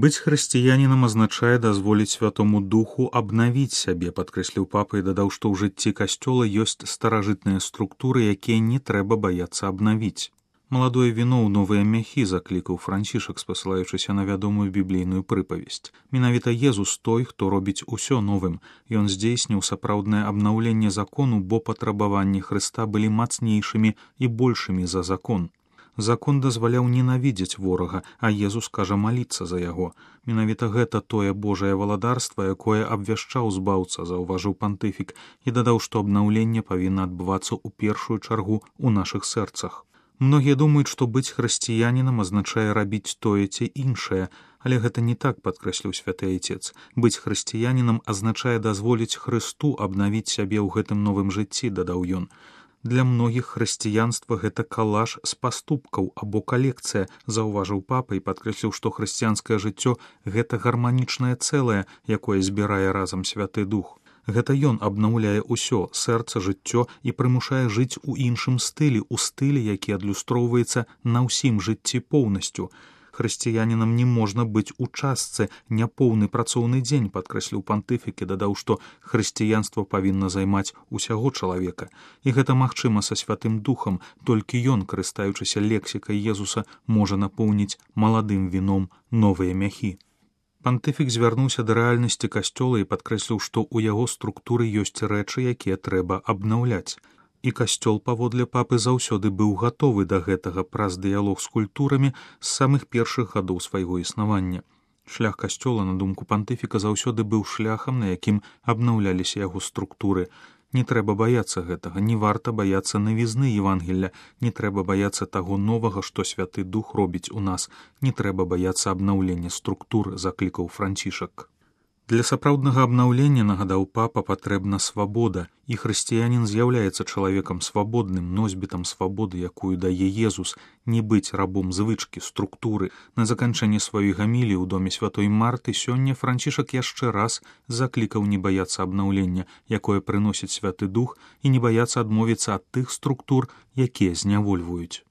Быць хрысціянінам азначае дазволіць Святому Духу абнавіць сябе, падкрэсліў папа і дадаў, што ў жыцці касцёла ёсць старажытныя структуры, якія не трэба баяцца абнавіць. Маладое віно ў новыя мяхі, заклікаў Францішак, спасылаючыся на вядомую біблійную прыпавесць. Менавіта Езус той, хто робіць усё новым. Ён здзейсніў сапраўднае абнаўленне закону, бо патрабаванні Хрыста былі мацнейшымі і большымі за закон. Закон дазваляў ненавідзець ворага, а Езус кажа маліцца за яго. Менавіта гэта тое Божае валадарства, якое абвяшчаў збаўца, заўважыў пантыфік, і дадаў, што абнаўленне павінна адбывацца ў першую чаргу ў нашых сэрцах. Многія думаюць, што быць хрысціянінам азначае рабіць тое ці іншае, але гэта не так, падкрэсліў святы айцец. Быць хрысціянінам азначае дазволіць Хрысту абнавіць сябе ў гэтым новым жыцці, дадаў ён. Для многіх хрысціянства гэта калаж з паступкаў або калекцыя, заўважыў папа і падкрэсліў, што хрысціянскае жыццё гэта гарманічнае цэлае, якое збірае разам Святы Дух. Гэта ён абнаўляе ўсё, сэрца, жыццё і прымушае жыць у іншым стылі, у стылі, які адлюстроўваецца на ўсім жыцці поўнасцю. Хрысціянінам не можна быць у частцы, няпоўны працоўны дзень, падкрэсліў пантыфік і дадаў, што хрысціянства павінна займаць усяго чалавека. І гэта магчыма са Святым Духам, толькі ён, карыстаючыся лексікай Езуса, можа напоўніць маладым віном новыя мяхі. Пантыфік звярнуўся да рэальнасці касцёла і падкрэсліў, што ў яго структуры ёсць рэчы, якія трэба абнаўляць. І касцёл, паводле папы, заўсёды быў гатовы да гэтага праз дыялог з культурамі з самых першых гадоў свайго існавання. Шлях касцёла, на думку пантыфіка, заўсёды быў шляхам, на якім абнаўляліся яго структуры. Не трэба баяцца гэтага, не варта баяцца навізны Евангелля, не трэба баяцца таго новага, што Святы Дух робіць у нас, не трэба баяцца абнаўлення структур, заклікаў Францішак. Для сапраўднага абнаўлення, нагадаў папа, патрэбна свабода, і хрысціянін з'яўляецца чалавекам свабодным, носьбітам свабоды, якую дае Езус, не быць рабом звычкі, структуры. На заканчэнне сваёй гаміліі ў доме святой Марты сёння Францішак яшчэ раз заклікаў не баяцца абнаўлення, якое прыносіць Святы Дух, і не баяцца адмовіцца ад тых структур, якія знявольваюць.